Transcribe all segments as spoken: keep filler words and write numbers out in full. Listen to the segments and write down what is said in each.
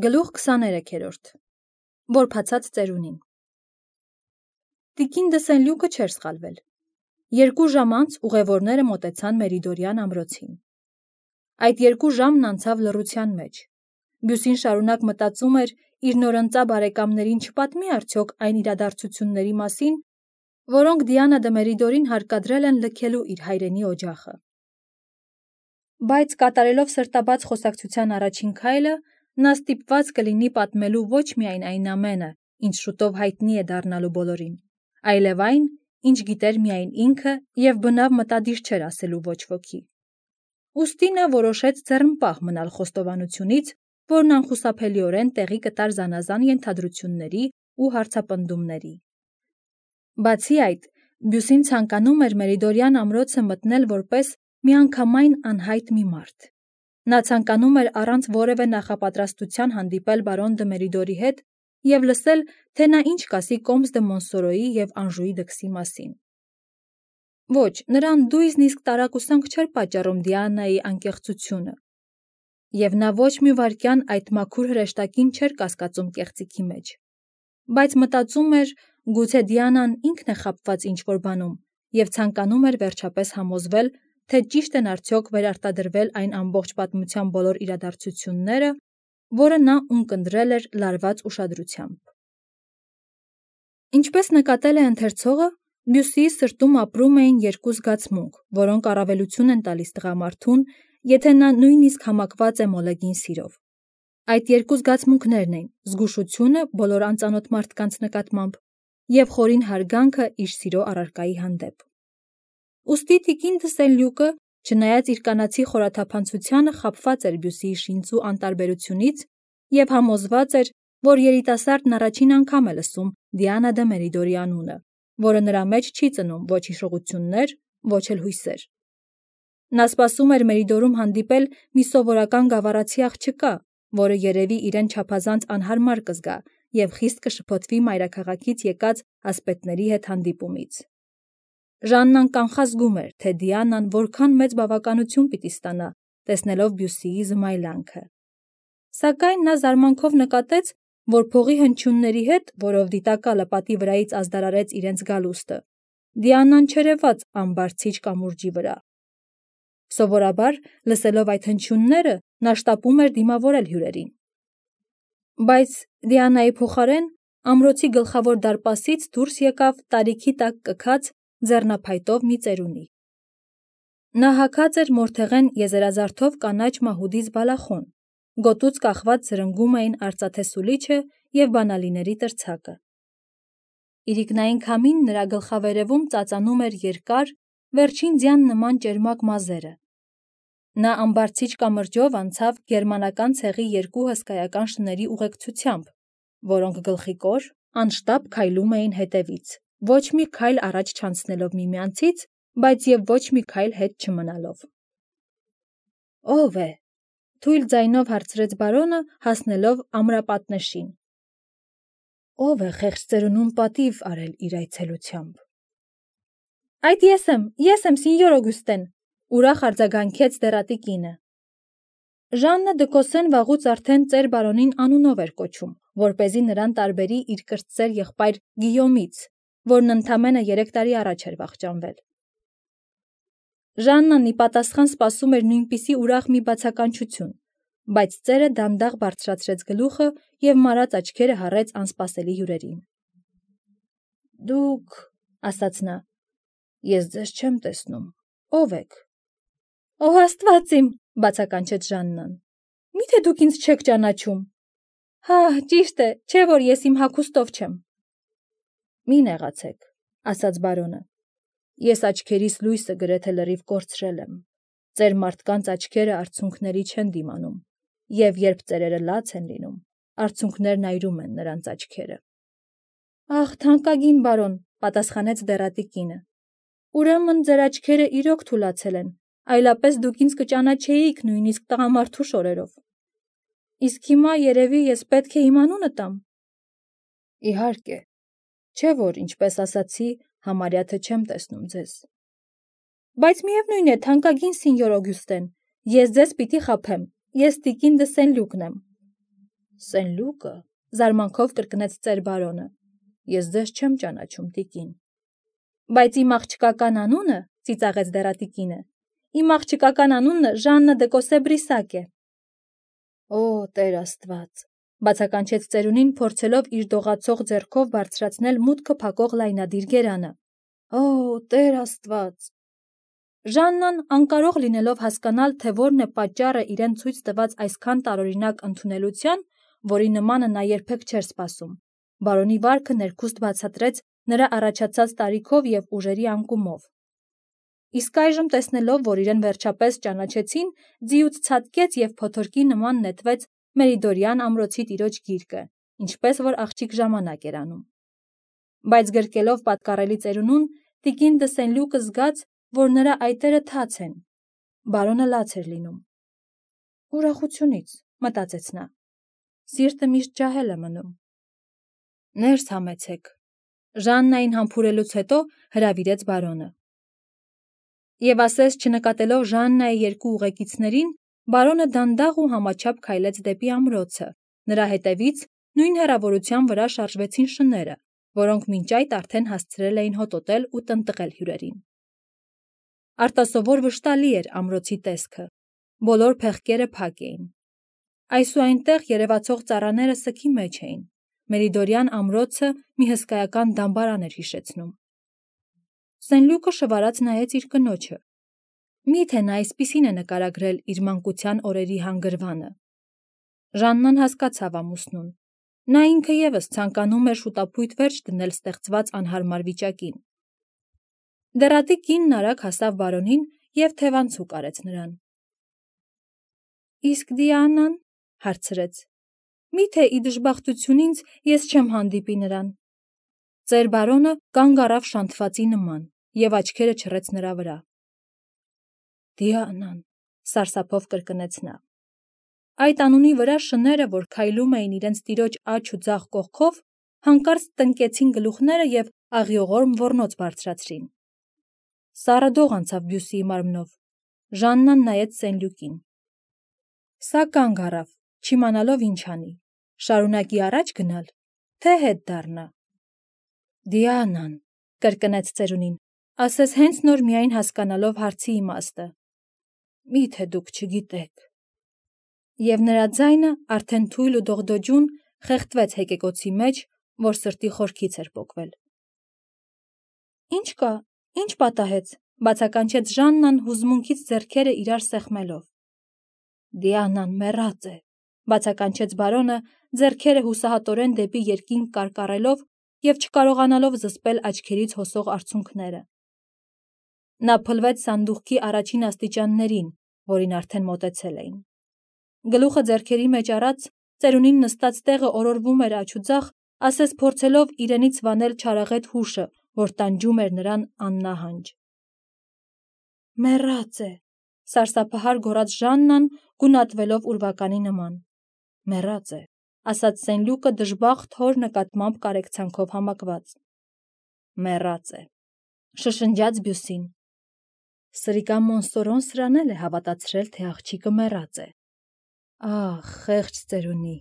Գլուխ քսաներեքերորդ Որբացած ծերունին Տիկին դը Սենլյուկը չէր սխալվել։ Երկու ժամ անց ուղևորները մոտեցան Մերիդորյան ամրոցին։ Այդ երկու ժամն անցավ լռության մեջ։ Բյուսին շարունակ մտածում էր իր նորընծա բարեկամներին չպատմի արդյոք այն իրադարձությունների մասին, որոնք Դիանա դը Մերիդորին հարկադրել են լքելու իր հայրենի օջախը։ Բայց կատարելով սրտաբաց խոսակցության առաջին քայլը, նա ստիպված կլինի պատմելու ոչ միայն այն ամենը, ինչ շուտով հայտնի է դառնալու բոլորին, այլև այն, ինչ գիտեր միայն ինքը և բնավ մտադիր չէր ասելու ոչ ոքի։ Ուստի նա որոշեց ձեռնպահ մնալ խոստովանությունից, որն անխուսափելիորեն տեղի կտար զանազան ենթադրությունների ու հարցապնդումների։ Բացի այդ, Բյուսին ցանկանում էր Մերիդորյան ամրոցը մտնել որպես միանգամայն անհայտ մի մարդ։ Նա ցանկանում էր առանց որևէ նախապատրաստության հանդիպել բարոն դը Մերիդորի հետ և լսել, թե նա ինչ կասի Կոմս դը Մոնսորոյի և Անժուի դքսի մասին։ Ոչ, նրան դույզն իսկ տարակուսանք չէր պատճառում Դիանայի անկեղծությունը, և նա ոչ մի վայրկյան այդ մաքուր հրեշտակին չէր կասկածում կեղծիքի մեջ, բայց մտածում էր, գուցե Դիանան ինքն է խաբված ինչ-որ բանում և ցանկանում էր վերջապես համոզվել, թե ճիշտ են արդյոք վերարտադրվել այն ամբողջ պատմության բոլոր իրադարձությունները, որը նա ունկնդրել էր լարված ուշադրությամբ։ Ինչպես նկատել է ընթերցողը, Բյուսիի սրտում ապրում էին երկու զգացմունք, որոնք առավելություն են տալիս տղամարդուն, եթե նա նույնիսկ համակված է մոլեգին սիրով։ Այդ երկու զգացմունքներն են զգուշությունը բոլոր անծանոթ մարդկանց նկատմամբ և խորին հարգանքը իր սիրո առարկայի հանդեպ։ Ուստի տիկին դը Սենլյուկը, չնայած իր կանացի խորաթափանցությանը, խաբված էր Բյուսիի շինծու անտարբերությունից և համոզված էր, որ երիտասարդն առաջին անգամ է լսում Դիանա դը Մերիդորի անունը, որը նրա մեջ չի ծնում ոչ հիշողություններ, ոչ էլ հույսեր։ Նա սպասում էր Մերիդորում հանդիպել մի սովորական գավառացի աղջկա, որը երևի իրեն չափազանց անհարմար կզգա և խիստ կշփոթվի մայրաքաղաքից եկած ասպետների հետ հանդիպումից։ Ժաննան կանխազգում էր, թե Դիանան որքան մեծ բավականություն պիտի ստանա, տեսնելով Բյուսիի զմայլանքը։ Սակայն նա զարմանքով նկատեց, որ փողի հնչյունների հետ, որով դիտակալը պատի վրայից ազդարարեց իրենց գալուստը, Դիանան չերևաց ամբարձիչ կամուրջի վրա։ Սովորաբար, լսելով այդ հնչյունները, նա շտապում էր դիմավորել հյուրերին։ Բայց Դիանայի փոխարեն ամրոցի գլխավոր դարպասից դուրս եկավ տարիքի տակ կքած ձեռնափայտով մի ծերունի։ Նա հագած էր մորթեղեն եզերազարդով կանաչ մահուդից բալախոն, գոտուց կախված զրնգում էին արծաթե սուլիչը և բանալիների տրցակը։ Իրիկնային քամին նրա գլխավերևում ծածանում էր երկար, վերջին ձյան նման ճերմակ մազերը։ Նա ամբարձիչ կամրջով անցավ գերմանական ցեղի երկու հսկայական շների ուղեկցությամբ, որոնք գլխիկոր, անշտապ քայլում էին հետևից, ոչ մի քայլ առաջ չանցնելով միմյանցից, բայց և ոչ մի քայլ հետ չմնալով։ Ո՞վ է,֊ թույլ ձայնով հարցրեց բարոնը, հասնելով ամրապատնեշին։ Ո՞վ է խեղճ ծերունուն պատիվ արել իր այցելությամբ։ Այդ ես եմ, ես եմ, սինյոր Օգյուստեն,֊ ուրախ արձագանքեց դեռատի կինը։ Ժաննը դը Կոսսեն վաղուց արդեն ծեր բարոնին անունով էր կոչում, որպեսզի նրան տարբերի իր կրտսեր եղբայր Գիյոմից, որն ընդամենը երեք տարի առաջ էր վախճանվել։ Ժաննան ի պատասխան սպասում էր նույնպիսի ուրախ մի բացականչություն, բայց ծերը դանդաղ բարձրացրեց գլուխը և մարած աչքերը հառեց անսպասելի հյուրերին։ Դուք,֊ ասաց նա,֊ ես ձեզ չեմ տեսնում, ո՞վ եք։ Օ աստված իմ,֊ բացականչեց Ժաննան, միթե դուք ինձ չեք ճանաչում։ Հա, ճիշտ է, չէ՞ որ ես իմ հագուստով չեմ։ Մի նեղացեք, ասաց բարոնը, ես աչքերիս լույսը գրեթե լրիվ կորցրել եմ։ Ծեր մարդկանց աչքերը արցունքների չեն դիմանում, և երբ ծերերը լաց են լինում, արցունքներն այրում են նրանց աչքերը։ Ախ, թանկագին բարոն,֊ պատասխանեց դեռատի կինը, ուրեմն ձեր աչքերը իրոք թուլացել են, այլապես դուք ինձ կճանաչեիք նույնիսկ տղամարդու շորերով։ Իսկ հիմա երևի ես պետք է իմ անունը տամ։ Իհարկե, չէ՞ որ, ինչպես ասացի, համարյա թե չեմ տեսնում ձեզ։ Բայց միևնույն է, թանկագին սինյոր Օգյուստեն, ես ձեզ պիտի խաբեմ, ես տիկին դը Սենլյուկն եմ։ Սենլուկը, զարմանքով կրկնեց ծեր բարոնը, ես ձեզ չեմ ճանաչում, տիկին։ Բայց իմ աղջկական անունը, ծիծաղեց դեռատիկինը, իմ աղջկական անունը Ժաննա դե Կոսեբրիսակ է։ Օ, Տեր Աստված, բացականչեց ծերունին, փորձելով իր դողացող ձեռքով բարձրացնել մուտքը փակող լայնադիր գերանը։ Օ, Տեր Աստված։ Ժաննան, անկարող լինելով հասկանալ, թե որն է պատճառը իրեն ցույց տված այսքան տարօրինակ ընդունելության, որի նմանը նա երբեք չէր սպասում, բարոնի վարքը ներքուստ բացատրեց նրա առաջացած տարիքով և ուժերի անկումով։ Իսկ այժմ տեսնելով, որ իրեն վերջապես ճանաչեցին, ձիուց ցատկեց և փոթորկի նման նետվեց Մերիդորյան ամրոցի տիրոջ գիրկը, ինչպես որ աղջիկ ժամանակ էր անում։ Բայց գրկելով պատկառելի ծերունուն, տիկին դը Սենլյուկը զգաց, որ նրա այտերը թաց են, բարոնը լաց էր լինում։ Ուրախությունից, մտածեց նա, սիրտը միշտ ջահել է մնում։ Ներս համեցեք, Ժաննային համբուրելուց հետո հրավիրեց բարոնը։ Եվ ասես չնկատելով Ժաննայի երկու ուղեկիցներին, բարոնը դանդաղ ու համաչափ քայլեց դեպի ամրոցը, նրա հետևից նույն հեռավորության վրա շարժվեցին շները, որոնք մինչ այդ արդեն հասցրել էին հոտոտել ու տնտղել հյուրերին։ Արտասովոր վշտալի էր ամրոցի տեսքը, բոլոր փեղկերը փակ էին։ Այս ու այնտեղ երևացող ծառաները սգի մեջ էին, Մերիդորյան ամրոցը մի հսկայական դամբարան էր հիշեցնում։ Սենլյուկը շվարած նայեց իր կնոջը։ Միթե նա այսպիսին է նկարագրել իր մանկության օրերի հանգրվանը։ Ժաննան հասկացավ ամուսնուն։ Նա ինքը ևս ցանկանում էր շուտապույտ վերջ դնել ստեղծված անհարմար վիճակին։ Դեռատիկ կինն արագ հասավ բարոնին և թևանցուկ արեց նրան։ Իսկ Դիանան, հարցրեց, միթե ի դժբախտություն ինձ ես չեմ հանդիպի նրան։ Ծեր բարոնը կանգ առավ շանթվածի նման և աչքերը չռեց նրա վրա։ Դիանան, սարսափով կրկնեց նա։ Այդ անունի վրա շները, որ քայլում էին իրենց տիրոջ աջ ու ձախ կողքով, հանկարծ տնկեցին գլուխները և աղիողորմ ոռնոց բարձրացրին։ Սառը դող անցավ Բյուսիի մարմնով։ Ժաննան նայեց Սենլյուկին։ Սա կանգ առավ, չիմանալով ինչ անի, շարունակի առաջ գնալ, թե հետ դառնա։ Դիանան, կրկնեց ծերունին, ասես հենց նոր միայն հասկանալով հարցի իմաստը։ Միթե դուք չգիտեք։ Եվ նրա ձայնը արդեն թույլ ու դողդոջուն խեղդվեց հեկեկոցի մեջ, որ սրտի խորքից էր պոկվել։ Ինչ կա, ինչ պատահեց, բացականչեց Ժաննան հուզմունքից ձեռքերը իրար սեղմելով։ Դիանան մեռած է, բացականչեց բարոնը, ձեռքերը հուսահատորեն դեպի երկինք կարկառելով և չկարողանալով զսպել աչքերից հոսող արցունքները։ Նա փլվեց սանդուղքի առաջին աստիճաններին, որին արդեն մոտեցել էին։ Գլուխը ձեռքերի մեջ առած, ծերունին նստած տեղը օրորվում էր աջ ու ձախ, ասես փորձելով իրենից վանել չարաղետ հուշը, որ տանջում էր նրան աննահանջ։ Մեռած է, սարսափահար գոռաց Ժաննան, գունատվելով ուրվականի նման։ Մեռած է, ասաց Սենլյուկը դժբախտ հոր նկատմամբ կարեկցանքով համակված։ Մեռած է, շշնջաց Բյուսին։ Սրիկա Մոնսորոն սրան էլ է հավատացրել, թե աղջիկը մեռած է։ Ահ, խեղճ ծերունի,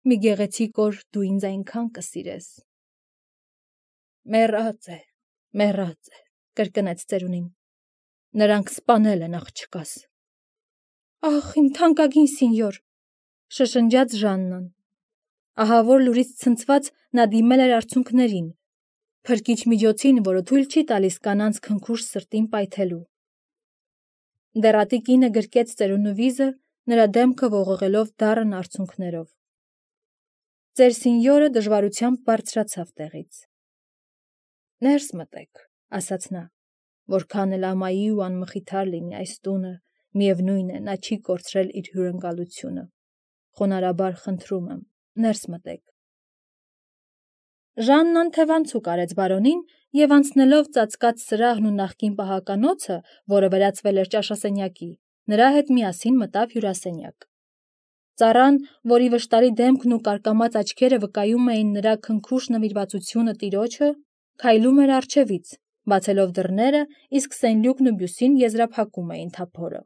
մի գեղեցիկ օր դու ինձ այնքան կսիրես։ Մեռած է, մեռած է, կրկնեց ծերունին։ Նրանք սպանել են աղջկաս։ Ահ, իմ թանկագին սինյոր, շշնջաց Ժաննան։ Ահավոր լուրից ցնցված նա դիմել էր արցունքներին, փրկիչ միջոցին, որը թույլ չի տալիս կանանց քնքուշ սրտին պայթելու։ Դեռատի կինը գրկեց ծերունու վիզը, նրա դեմքը ողողելով դառն արցունքներով։ Ծեր սինյորը դժվարությամբ բարձրացավ տեղից։ Ներս մտեք, ասաց նա, որքան էլ ամայի ու անմխիթար լինի այս տունը, միևնույն է, նա չի կորցրել իր հյուրընկալությունը։ Խոնարհաբար խնդրում եմ, ներս մտեք։ Ժաննան թևանցուկ արեց բարոնին և անցնելով ծածկած սրահն ու նախկին պահականոցը, որը վերածվել էր ճաշասենյակի, նրա հետ միասին մտավ հյուրասենյակ։ Ծառան, որի վշտարի դեմքն ու կարկամած աչքերը վկայում էին նրա քնքուշ նվիրվածությունը տիրոջը, քայլում էր առջևից, բացելով դռները, իսկ Սենլյուկն ու Բյուսին եզրափակում էին թափորը։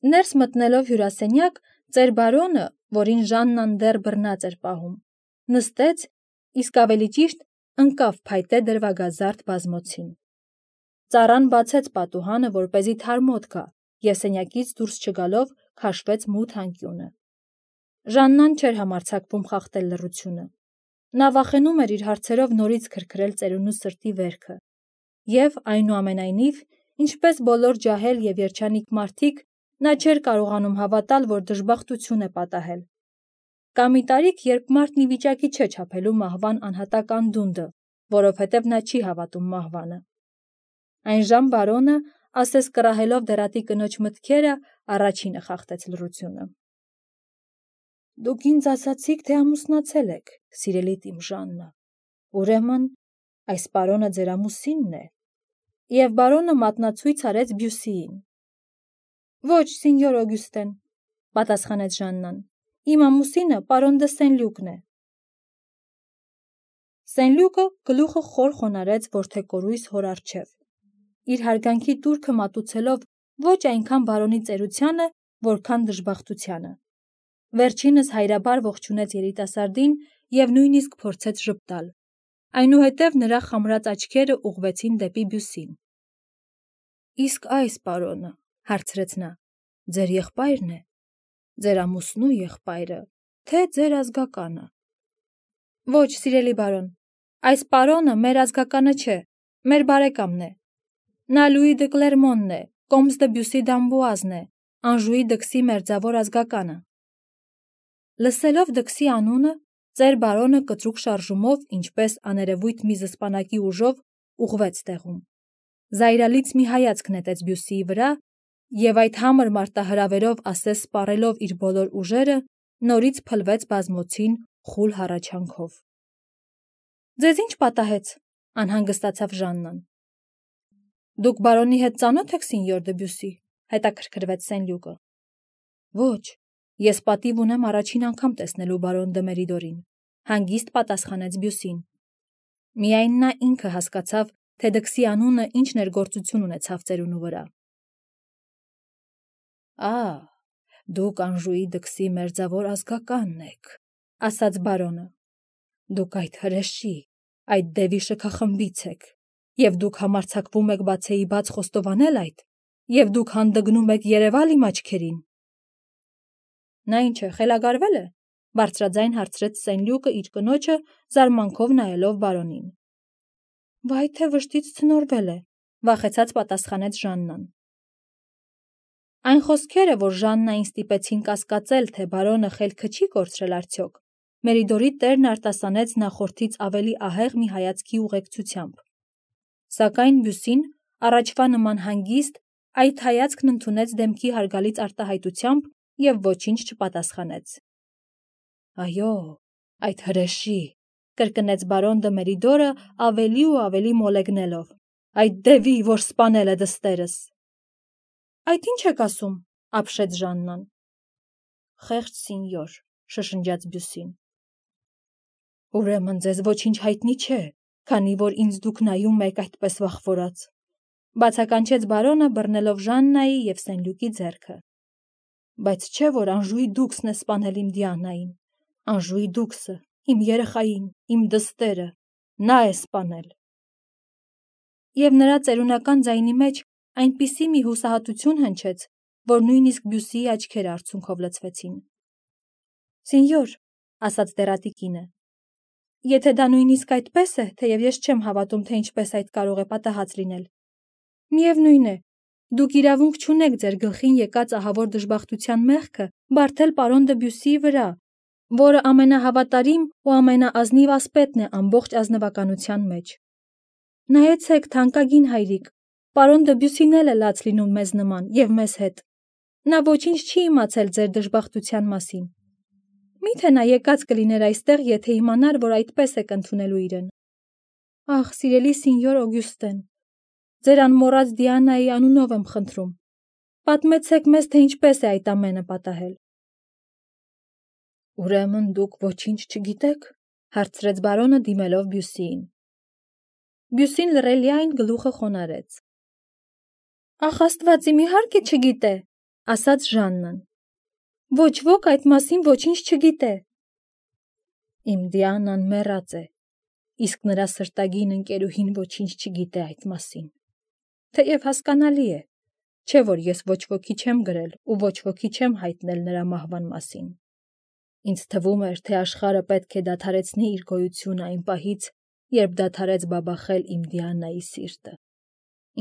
Ներս մտնելով հյուրասենյակ, Ծեր բարոնը, որին Ժաննան դեռ բռնած էր պահում, նստեց, իսկ ավելի ճիշտ ընկավ փայտե դրվագազարդ բազմոցին։ Ծառան բացեց պատուհանը, որպեսզի թարմոտ գա, և սենյակից դուրս չգալով քաշվեց մութ անկյունը։ Ժաննան չէր համարձակվում խախտել լռությունը։ Նա վախենում էր իր հարցերով նորից քրքրել ծերունու սրտի վերքը, և այնուամենայնիվ, ինչպես բոլոր ջահել և երջանիկ մարդիկ, նա չէր կարողանում հավատալ, որ դժբախտություն է պատահել։ Կա մի տարիք, երբ մարդն ի վիճակի չէ չափելու մահվան անհատակ անդունդը, որովհետև նա չի հավատում մահվանը։ Այնժամ բարոնը, ասես կռահելով դեռատի կնոջ մտքերը, առաջինը խախտեց լռությունը։ Դուք ինձ ասացիք, թե ամուսնացել եք, սիրելի իմ Ժաննա, ուրեմն այս պարոնը ձեր ամուսինն է։ Եվ բարոնը մատնացույց արեց Բյուսիին։ Ոչ, սինյոր Օգյուստեն, պատասխանեց Ժաննան, իմ ամուսինը պարոն դը Սենլյուկն է։ Սենլյուկը գլուխը խոր խոնարհեց որդեկորույս հոր առջև, իր հարգանքի տուրքը մատուցելով ոչ այնքան բարոնի ծերությանը, որքան դժբախտությանը։ Վերջինս հայրաբար ողջունեց երիտասարդին և նույնիսկ փորձեց ժպտալ։ Այնուհետև նրա խամրած աչքերը ուղղվեցին դեպի Բյուսին։ Իսկ այս պարոնը, հարցրեց նա, ձեր եղբայրն է, ձեր ամուսնու եղբայրը, թե ձեր ազգականը։ Ոչ, սիրելի բարոն, այս պարոնը մեր ազգականը չէ, մեր բարեկամն է։ Նա Լուի դը Կլերմոնն է, կոմս դը Բյուսի դ'Ամբուազն է, Անժուի դքսի մերձավոր ազգականը։ Լսելով դքսի անունը, ծեր բարոնը կտրուկ շարժումով, ինչպես աներևույթ մի զսպանակի ուժով, ուղղվեց տեղում։ Զայրալից մի հայացք նետեց Բյուսիի վրա, և այդ համր մարտահրավերով ասես սպառելով իր բոլոր ուժերը, նորից փլվեց բազմոցին խուլ հառաչանքով։ Ձեզ ի՞նչ պատահեց, անհանգստացավ Ժաննան։ Դուք բարոնի հետ ծանո՞թ եք, սինյոր դը Բյուսի, հետաքրքրվեց Սենլյուկը։ Ոչ, ես պատիվ ունեմ առաջին անգամ տեսնելու բարոն դը Մերիդորին, հանգիստ պատասխանեց Բյուսին։ Միայն նա ինքը հասկացավ, թե դքսի անունը ինչ ներգործություն ունեցավ ծերունու վրա։ Ա, դուք Անժուի դքսի մերձավոր ազգականն եք, ասաց բարոնը։ Դուք այդ հրեշի, այդ դևի շքախմբից եք, և դուք համարձակվում եք բացեի բաց խոստովանել այդ, և դուք հանդգնում եք երևալ իմ աչքերին։ Նա ինչ է, խելագարվել է, բարձրաձայն հարցրեց Սենլյուկը իր կնոջը, զարմանքով նայելով բարոնին։ Վայ թե վշտից ցնորվել է, վախեցած պատասխանեց Ժաննան։ Այն խոսքերը, որ Ժաննային ստիպեցին կասկածել, թե բարոնը խելքը չի կորցրել արդյոք, Մերիդորի տերն արտասանեց նախորդից ավելի ահեղ մի հայացքի ուղեկցությամբ։ Սակայն Բյուսին, առաջվա նման հանգիստ, այդ հայացքն ընդունեց դեմքի հարգալից արտահայտությամբ և ոչինչ չպատասխանեց։ Այո, այդ հրեշի, կրկնեց բարոն դը Մերիդորը ավելի ու ավելի մոլեգնելով, այդ դևի, որ սպանել է դստերս։ Այդ ի՞նչ եք ասում, ապշեց Ժաննան։ Խեղճ սինյոր, շշնջաց Բյուսին։ Ուրեմն ձեզ ոչինչ հայտնի չէ, քանի որ ինձ դուք նայում եք այդպես վախվորած, բացականչեց բարոնը, բռնելով Ժաննայի և Սենլյուկի ձեռքը։ Բայց չէ, որ Անժուի դուքսն է սպանել իմ Դիանային, Անժուի դուքսը, իմ երեխային, իմ դստերը, նա է սպանել։ Եվ նրա ծերունական ձայնի մեջ այնպիսի մի հուսահատություն հնչեց, որ նույնիսկ Բյուսիի աչքերը արցունքով լցվեցին։ Սինյոր, ասաց դեռատի կինը, եթե դա նույնիսկ այդպես է, թեև ես չեմ հավատում, թե ինչպես այդ կարող է պատահած լինել։ Միևնույն է, դուք իրավունք չունեք ձեր գլխին եկած ահավոր դժբախտության մեղքը բարդել պարոն դը Բյուսիի վրա, որը ամենահավատարիմ ու ամենաազնիվ ասպետն է ամբողջ ազնվականության մեջ։ Նայեցեք, թանկագին հայրիկ, պարոն դը Բյուսին էլ է լաց լինում մեզ նման և մեզ հետ։ Նա ոչինչ չի իմացել ձեր դժբախտության մասին։ Մի՞թե նա եկած կլիներ այստեղ, եթե իմանար, որ այդպես եք ընդունելու իրեն։ Ախ, սիրելի սինյոր Օգյուստեն, ձեր անմոռաց Դիանայի անունով եմ խնդրում, պատմեցեք մեզ, թե ինչպես է այդ ամենը պատահել։ Ուրեմն դուք ոչինչ չգիտեք, հարցրեց բարոնը դիմելով Բյուսիին։ Բյուսին լռելիայն գլուխը խոնարհեց։ Ախ, Աստված իմ իհարկե չգիտե, ասաց Ժաննան։ Ոչ ոք այդ մասին ոչինչ չգիտե։ Իմ Դիանան մեռած է, իսկ նրա սրտագին ընկերուհին ոչինչ չգիտե այդ մասին։ Թեև հասկանալի է, չէ որ ես ոչ ոքի չեմ գրել ու ոչ ոքի չեմ հայտնել նրա մահվան մասին։ Ինձ թվում էր, թե աշխարհը պետք է դադարեցնի իր գոյությունը այն պահից, երբ դադարեց բաբախել իմ Դիանայի սիրտը։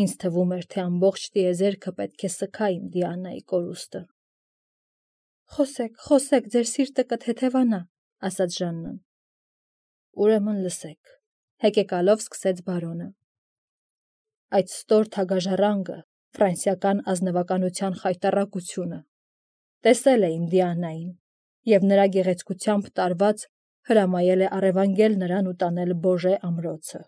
Ինձ թվում էր, թե ամբողջ տիեզերքը պետք է սգա իմ Դիանայի կորուստը։ Խոսեք, խոսեք, ձեր սիրտը կթեթևանա, ասաց Ժաննան։ Ուրեմն լսեք, հեկեկալով սկսեց բարոնը։ Այդ ստոր թագաժառանգը, ֆրանսիական ազնվականության խայտառակությունը, տեսել է իմ Դիանային և նրա գեղեցկությամբ տարված հրամայել է առևանգել նրան ու տանել Բոժե ամրոցը։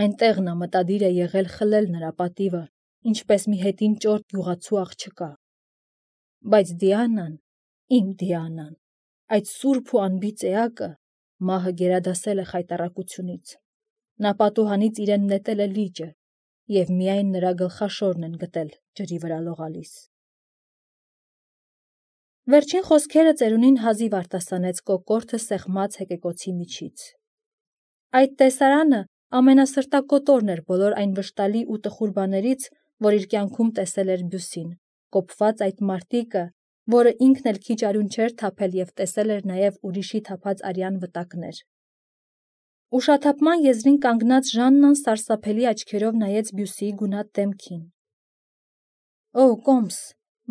Այնտեղ նա մտադիր է եղել խլել նրա պատիվը, ինչպես մի հետին ճորտ գյուղացու աղջկա։ Բայց Դիանան, իմ Դիանան, այդ սուրբ ու անբիծ էակը, մահը գերադասել է խայտառակությունից։ Նա պատուհանից իրեն նետել է լիճը, և միայն նրա գլխաշորն են գտել ջրի վրա լողալիս։ Վերջին խոսքերը ծերունին հազիվ արտասանեց կոկորդը սեղմած հեկեկոցի միջից։ Այդ տեսարանը ամենասրտակոտորն էր բոլոր այն վշտալի ու տխուր բաներից, որ իր կյանքում տեսել էր Բյուսին, կոփված այդ մարտիկը, որը ինքն էլ քիչ արյուն չէր թափել և տեսել էր նաև ուրիշի թափած արյան վտակներ։ Ուշաթափման եզրին կանգնած Ժաննան սարսափելի աչքերով նայեց Բյուսիի գունատ դեմքին։ Օ, կոմս,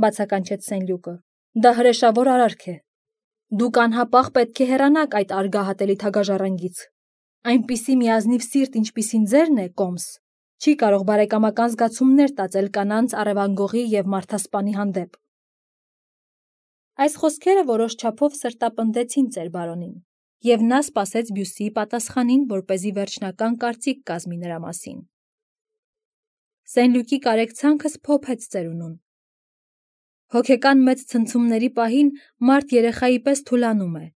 բացականչեց Սենլյուկը, դա հրեշավոր արարք է։ Դուք անհապաղ պետք է հեռանաք այդ արգահատելի թագաժառանգից։ Այնպիսի մի ազնիվ սիրտ, ինչպիսին ձերն է, կոմս, չի կարող բարեկամական զգացումներ տածել կանանց առևանգողի և մարդասպանի հանդեպ։ Այս խոսքերը որոշ չափով սրտապնդեցին ծեր-բարոնին, և նա սպասեց Բյուսիի պատասխանին, որպեսզի վերջնական կարծիք կազմի նրա մասին։ Սենլյուկի կարեկցանքը սփոփեց ծերունուն։ Հոգեկան մեծ ցնցումների պահին մարդ երեխայի պես թուլանում է,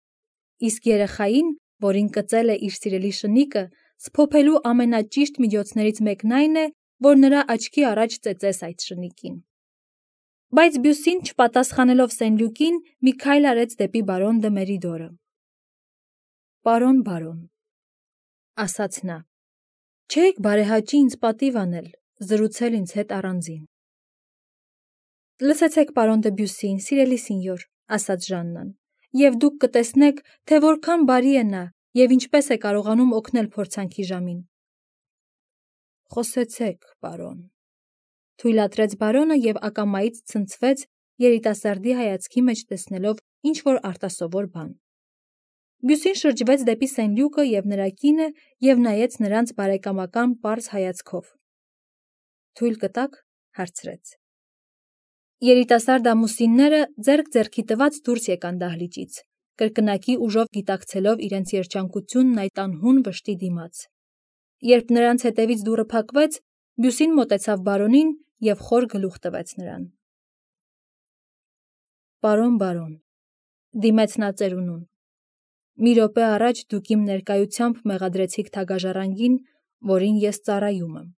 իսկ երեխային, որին կծել է իր սիրելի շնիկը, սփոփելու ամենաճիշտ միջոցներից մեկն այն է, որ նրա աչքի առաջ ծեծես այդ շնիկին։ Բայց Բյուսին, չպատասխանելով Սենլյուկին, մի քայլ արեց դեպի բարոն դը Մերիդորը։ Պարոն բարոն, ասաց նա, չէիք բարեհաճի ինձ պատիվ անել, զրուցել ինձ հետ առանձին։ Լսեցեք, պարոն դը Բյուսին, սիրելի սինյոր, ասաց Ժաննան, և դուք կտեսնեք, թե որքան բարի է նա և ինչպես է կարողանում օգնել փորձանքի ժամին։ Խոսեցեք, պարոն, թույլատրեց բարոնը և ակամայից ցնցվեց, երիտասարդի հայացքի մեջ տեսնելով ինչ-որ արտասովոր բան։ Բյուսին շրջվեց դեպի Սենլյուկը և նրա կինը և նայեց նրանց բարեկամական պարզ հայացքով։ Թույլ կտաք, հարցրեց։ Երիտասարդ ամուսինները ձեռք ձեռքի տված դուրս եկան դահլիճից, կրկնակի ուժով գիտակցելով իրենց երջանկությունն այդ անհուն վշտի դիմաց։ Երբ նրանց հետևից դուռը փակվեց, Բյուսին մոտեցավ բարոնին և խոր գլուխ տվեց նրան։ Պարոն բարոն, դիմեց նա ծերունուն, մի րոպե առաջ դուք իմ ներկայությամբ մեղադրեցիք թագաժառանգին, որին ես ծառայում եմ,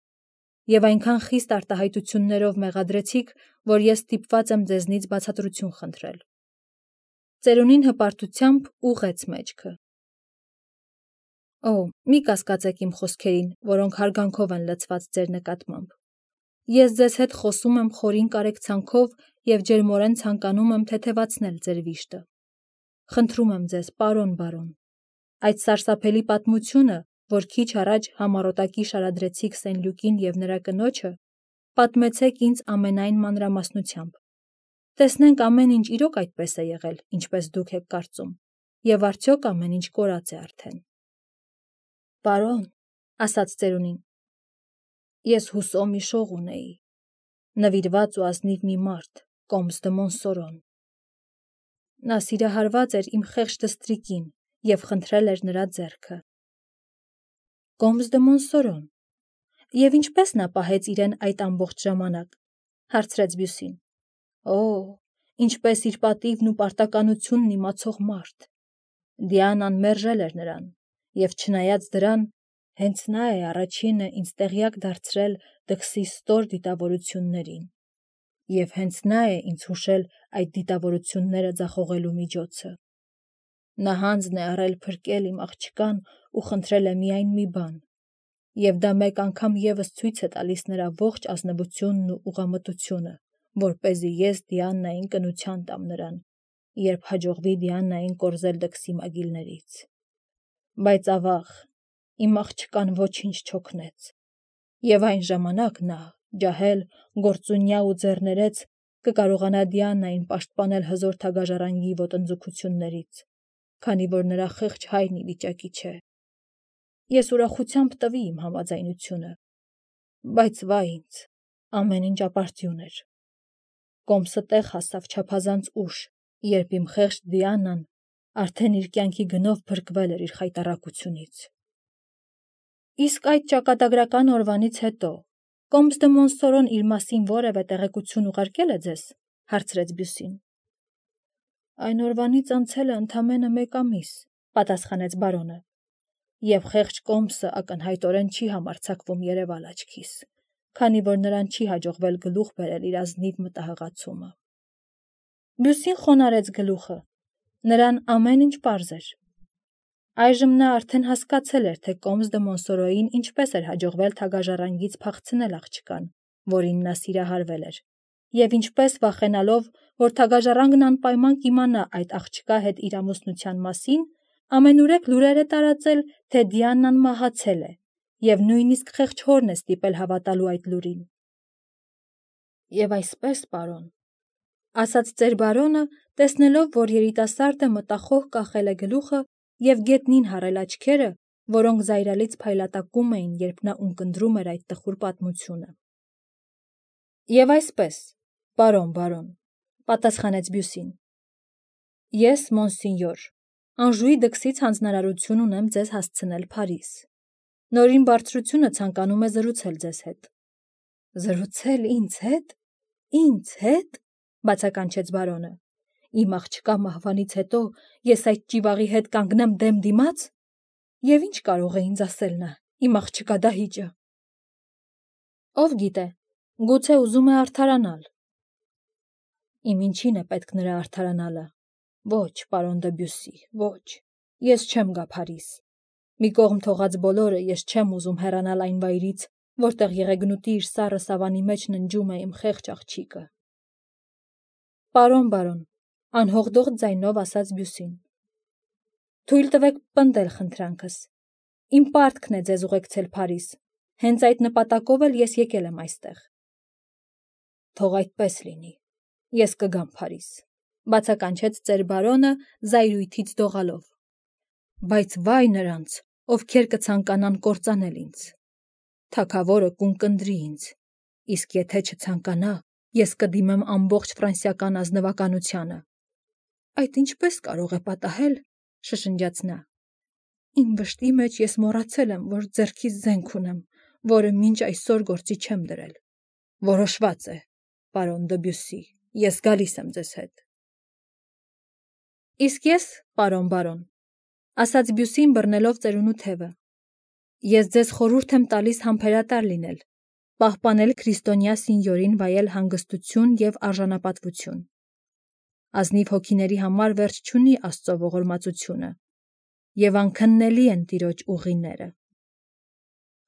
և այնքան խիստ արտահայտություններով մեղադրեցիք, որ ես ստիպված եմ ձեզնից բացատրություն խնդրել։ Ծերունին հպարտությամբ ուղղեց մեջքը։ Օ, մի կասկածեք իմ խոսքերին, որոնք հարգանքով են լցված ձեր նկատմամբ։ Ես ձեզ հետ խոսում եմ խորին կարեկցանքով և ջերմորեն ցանկանում եմ թեթևացնել ձեր վիշտը։ Խնդրում եմ ձեզ, պարոն բարոն, այդ սարսափելի պատմությունը, որ քիչ առաջ համառոտակի շարադրեցիք Սենլյուկին և նրա կնոջը, պատմեցեք ինձ ամենայն մանրամասնությամբ։ Տեսնենք ամեն ինչ իրոք այդպես է եղել, ինչպես դուք եք կարծում, և արդյոք ամեն ինչ կորած է արդեն։ Պարոն, ասաց ծերունին, ես հուսո մի շող ունեի, նվիրված ու ազնիվ մի մարդ, կոմս դը Մոնսորոն։ Նա սիրահարված էր իմ խեղճ դստրիկին և խնդրել էր նրա ձեռքը։ Կոմս դը Մոնսորոն։ Եվ ինչպես նա պահեց իրեն այդ ամբողջ ժամանակ, հարցրեց Բյուսին։ Օ, ինչպես իր պատիվն ու պարտականությունն իմացող մարդ։ Դիանան մերժել էր նրան, և չնայած դրան, հենց նա է առաջինը ինձ տեղյակ դարձրել դքսի ստոր դիտավորություններին։ Եվ հենց նա է ինձ հուշել այդ դիտավորությունները ձախողելու միջոցը։ Նա հանձն է առել փրկել իմ աղջկան ու խնդրել է միայն մի բան, եւ դա մեկ անգամ եւս ցույց է տալիս նրա ողջ ազնվությունն ու ուղղամտությունը, որպեսզի ես Դիաննային կնության տամ նրան, երբ հաջողվի Դիաննային կորզել դքսի մագիլներից։ Բայց ավաղ, իմ աղջկան ոչինչ չօգնեց, եւ այն ժամանակ նա, ջահել, գործունյա ու ձեռներեց, կկարողանա Դիաննային պաշտպանել հզոր թագաժառանգի ոտնձգություններից, քանի որ նրա խեղճ հայրն ի վիճակի չէ։ Ես ուրախությամբ տվի իմ համաձայնությունը, բայց վայ ինձ, ամեն ինչ ապարդյուն էր։ Կոմսը տեղ հասավ չափազանց ուշ, երբ իմ խեղճ Դիաննան արդեն իր կյանքի գնով փրկվել էր իր խայտառակությունից։ Իսկ այդ ճակատագրական օրվանից հետո Կոմս դե Մոնսորոն իր մասին որևէ տեղեկություն ուղարկել է ձեզ, հարցրեց Բյուսին։ Այն օրվանից անցել է ընդամենը մեկ ամիս, պատասխանեց բարոնը, եւ խեղճ Կոմսը ակնհայտորեն չի համարձակվում երևալ աչքիս, քանի որ նրան չի հաջողվել գլուխ բերել իր ազնիվ մտահղացումը։ Բյուսին խոնարհեց գլուխը, նրան ամեն ինչ պարզ էր։ Այժմ նա արդեն հասկացել էր, թե Կոմս դե Մոնսորոյին ինչպես էր հաջողվել թագաժառանգից փախցնել աղջկան, որին նա սիրահարվել էր, եւ ինչպես վախենալով, որ թագաժառանգն անպայման կիմանա այդ աղջկա հետ իր ամուսնության մասին, ամենուրեք լուրեր է տարածել, թե Դիաննան մահացել է, եւ նույնիսկ խեղճ հորն է ստիպել հավատալու այդ լուրին։ Եվ այսպես, պարոն, ասաց ծեր բարոնը, տեսնելով, որ երիտասարդը մտախոհ կախել է գլուխը եւ գետնին հառել աչքերը, որոնք զայրալից փայլատակում էին, երբ նա ունկնդրում էր այդ տխուր պատմությունը։ Եվ այսպես, պարոն բարոն, պատասխանեց Բյուսին, ես, մոնսինյոր, Անժուի դքսից հանձնարարություն ունեմ ձեզ հասցնել Փարիզ։ Նորին բարձրությունը ցանկանում է զրուցել ձեզ հետ։ Զրուցել ինձ հետ։ Ինձ հետ, բացականչեց բարոնը։ Իմ աղջկա մահվանից հետո ես այդ ճիվաղի հետ կանգնեմ դեմ դիմաց։ Եվ ինչ կարող է ինձ ասել նա, իմ աղջկա դահիճը։ Ով գիտե, գուցե ուզում է արդարանալ։ Իմ ինչին է պետք նրա արդարանալը։ Ոչ, պարոն դե Բյուսի, ոչ, ես չեմ գա Փարիզ։ Մի կողմ թողած բոլորը, ես չեմ ուզում հեռանալ այն վայրից, որտեղ եղեգնուտի իր սառը սավանի մեջ ննջում է իմ խեղճ աղջիկը։ Պարոն բարոն, անհողդող ձայնով ասաց Բյուսին։ Թույլ տվեք պնդել խնդրանքս։ Իմ պարտքն է ձեզ ուղեկցել Փարիզ։ Հենց այդ նպատակով էլ ես եկել եմ այստեղ։ Թող այդպես լինի։ Ես կգամ Փարիզ, բացականչեց ծեր բարոնը զայրույթից դողալով։ Բայց վայ նրանց, ովքեր կցանկանան կործանել ինձ։ Թագավորը կունկնդրի ինձ, իսկ եթե չցանկանա, ես կդիմեմ ամբողջ ֆրանսիական ազնվականությանը։ Այդ ինչպես կարող է պատահել, շշնջաց նա։ Իմ վշտի մեջ ես մոռացել եմ, որ ձեռքիս զենք ունեմ, որը մինչ այսօր գործի չեմ դրել։ Որոշված է, պարոն դե Բյուսի, ես գալիս եմ ձեզ հետ։ Իսկ ես, պարոն բարոն, ասաց Բյուսին բռնելով ծերունու թևը, ես ձեզ խորհուրդ եմ տալիս համբերատար լինել, պահպանել քրիստոնյա սինյորին վայել հանգստություն եւ արժանապատվություն։ Ազնիվ հոգիների համար վերջ չունի Աստծո ողորմածությունը, եւ անքննելի են Տիրոջ ուղիները։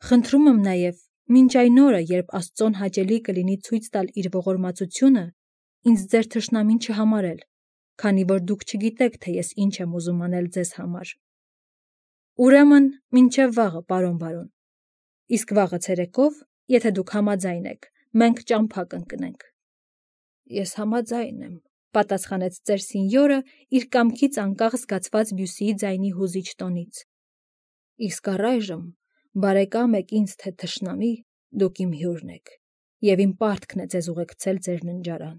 Խնդրում եմ նաեւ, մինչ այն օրը, երբ Աստծոն հաճելի կլինի ցույց տալ իր ողորմածությունը, ինձ ձեր թշնամին չհամարել, քանի որ դուք չգիտեք, թե ես ինչ եմ ուզում անել ձեզ համար։ Ուրեմն, մինչև վաղը, պարոն բարոն։ Իսկ վաղը ցերեկով, եթե դուք համաձայն եք, մենք ճամփա կընկնենք։ Ես համաձայն եմ, պատասխանեց ծեր սինյորը իր կամքից անկախ զգացված Բյուսիի ձայնի հուզիչ տոնից։ Իսկ առայժմ, բարեկամ եք ինձ թե թշնամի, դուք իմ հյուրն եք, եւ իմ պարտքն է ձեզ ուղեկցել ձեր ննջարան։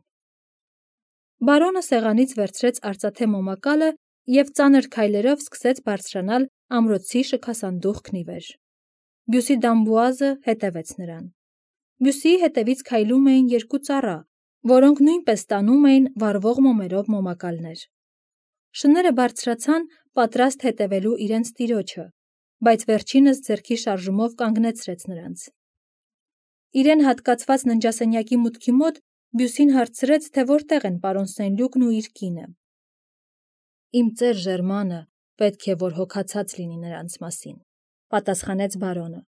Բարոնը սեղանից վերցրեց արծաթե մոմակալը եւ ծանր քայլերով սկսեց բարձրանալ ամրոցի շքասանդուղքն ի վեր։ Բյուսի Դամբուազը հետևեց նրան։ Բյուսիի հետևից քայլում էին երկու ծառա, որոնք նույնպես տանում էին վառվող մոմերով մոմակալներ։ Շները բարձրացան, պատրաստ հետևելու իրենց տիրոջը, բայց վերջինս ձեռքի շարժումով կանգնեցրեց նրանց։ Իրեն հատկացված ննջասենյակի մուտքի մոտ Բյուսին հարցրեց, թե որտեղ են պարոն Սեն-Լյուկն ու իր կինը։ Իմ ծեր Ժերմանը պետք է, որ հոգացած լինի նրանց մասին, պատասխանեց բարոնը։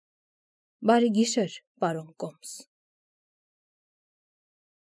Բարի գիշեր, պարոն Կոմս։